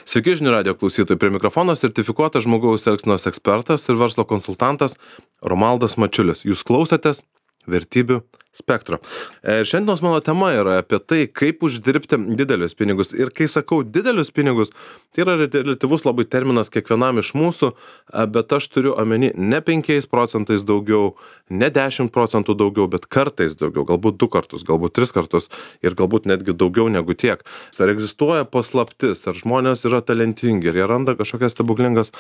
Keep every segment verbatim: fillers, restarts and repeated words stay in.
Sveiki žinių radijo klausytojai, prie mikrofono sertifikuotas žmogaus elgsenos ekspertas ir verslo konsultantas Romaldas Mačiulis. Jūs klausotės vertybių spektro. Ir šiandienos mano tema yra apie tai, kaip uždirbti didelius pinigus. Ir kai sakau didelius pinigus, tai yra relatyvus labai terminas kiekvienam iš mūsų, bet aš turiu omeny ne penkiais procentais daugiau, ne dešimt procentų daugiau, bet kartais daugiau, galbūt du kartus, galbūt tris kartus ir galbūt netgi daugiau negu tiek. Ar egzistuoja paslaptis, ar žmonės yra talentingi, ar jie randa kažkokias stebuklingas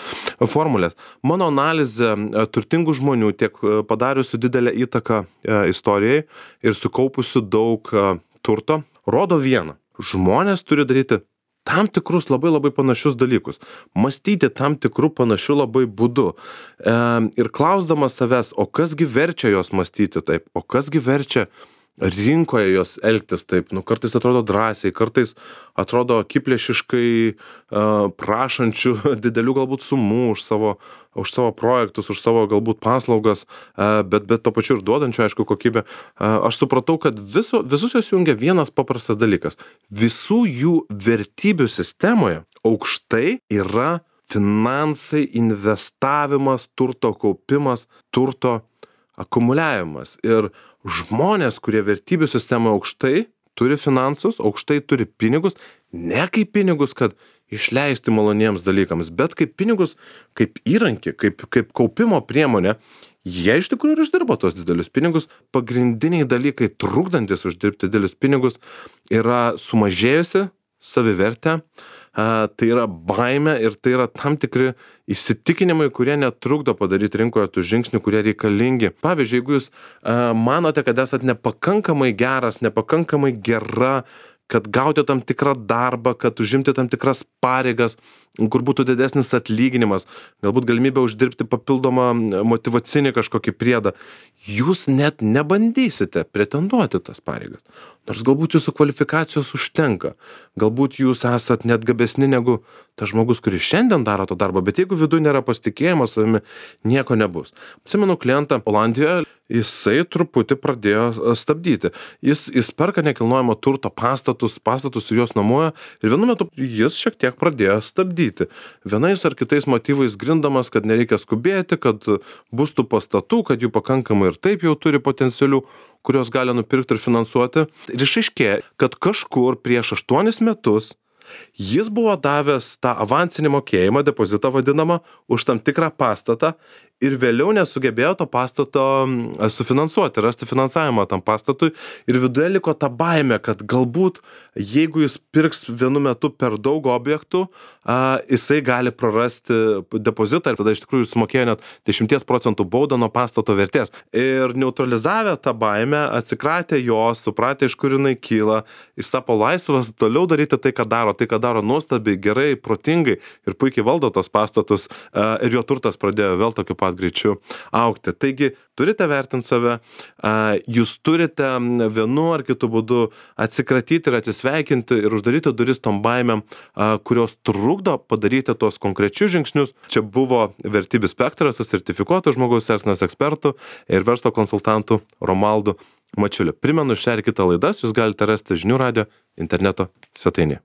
formulės. Mano analizė turtingų žmonių tiek padariusių didelę įtaką istorijai ir sukaupusių daug turto, rodo vieną. Žmonės turi daryti tam tikrus labai labai panašius dalykus. Mąstyti tam tikrų panašių labai būdu. E, ir klausdamas savęs, o kasgi verčia jos mąstyti taip, o kasgi verčia rinkoje jos elgtis taip, nu kartais atrodo drąsiai, kartais atrodo akiplėšiškai uh, prašančių didelių galbūt sumų už savo, už savo projektus, už savo galbūt paslaugas, uh, bet, bet to pačiu ir duodančių, aišku, kokybę. Uh, aš supratau, kad viso, visus jos jungia vienas paprastas dalykas. Visų jų vertybių sistemoje aukštai yra finansai, investavimas, turto kaupimas, turto akumuliavimas. Ir žmonės, kurie vertybių sistemoje aukštai turi finansus, aukštai turi pinigus, ne kaip pinigus, kad išleisti maloniems dalykams, bet kaip pinigus, kaip įrankį, kaip, kaip kaupimo priemonė, jie iš tikrųjų ir uždirba tos didelius pinigus. Pagrindiniai dalykai, trukdantis uždirbti didelius pinigus, yra sumažėjusi savivertė, tai yra baimė ir tai yra tam tikri įsitikinimai, kurie netrukdo padaryti rinkoje tų žingsnių, kurie reikalingi. Pavyzdžiui, jeigu jūs manote, kad esat nepakankamai geras, nepakankamai gera, kad gauti tam tikrą darbą, kad užimti tam tikras pareigas, kur būtų didesnis atlyginimas, galbūt galimybė uždirbti papildomą motyvacinį kažkokį priedą, jūs net nebandysite pretenduoti tas pareigas. Nors galbūt jūsų kvalifikacijos užtenka, galbūt jūs esat net gabesni negu tas žmogus, kuris šiandien daro to darbą, bet jeigu viduje nėra pasitikėjimo savimi, nieko nebus. Atsimenu klientą Olandijoje, jisai truputį pradėjo stabdyti. Jis, jis perka nekilnojamo turto pastatus, pastatus ir juos nuomoja ir vienu metu jis šiek tiek pradėjo stabdyti. Vienais ar kitais motyvais grindamas, kad nereikia skubėti, kad bus tų pastatų, kad jų pakankamai ir taip jau turi potencialių, kurios gali nupirkti ir finansuoti. Ir išaiškėjo, kad kažkur prieš aštuonis metus jis buvo davęs tą avansinį mokėjimą, depozitą vadinamą, už tam tikrą pastatą ir vėliau nesugebėjo to pastato sufinansuoti, rasti finansavimą tam pastatui ir viduje liko ta baimė, kad galbūt jeigu jis pirks vienu metu per daug objektų, a, jisai gali prarasti depozitą ir tada iš tikrųjų sumokėjo net dešimt procentų baudą nuo pastato vertės. Ir neutralizavę tą baimę, atsikratė jos, supratė, iš kur jinai kyla, jis tapo laisvas toliau daryti tai, ką daro, tai, ką daro nuostabiai, gerai, protingai ir puikiai valdo tos pastatus a, ir jo turtas pradėjo vėl tokiu pat greičiu augti. Taigi, turite vertinti save, jūs turite vienu ar kitu būdu atsikratyti ir atsisveikinti ir uždaryti duris tom baimėm, kurios trukdo padaryti tos konkrečius žingsnius. Čia buvo vertybių spektras su sertifikuotu žmogaus elgsenos ekspertu ir verslo konsultantu Romaldu Mačiuliu. Primenu, šią ir kitą laidas jūs galite rasti žinių radijo interneto svetainėje.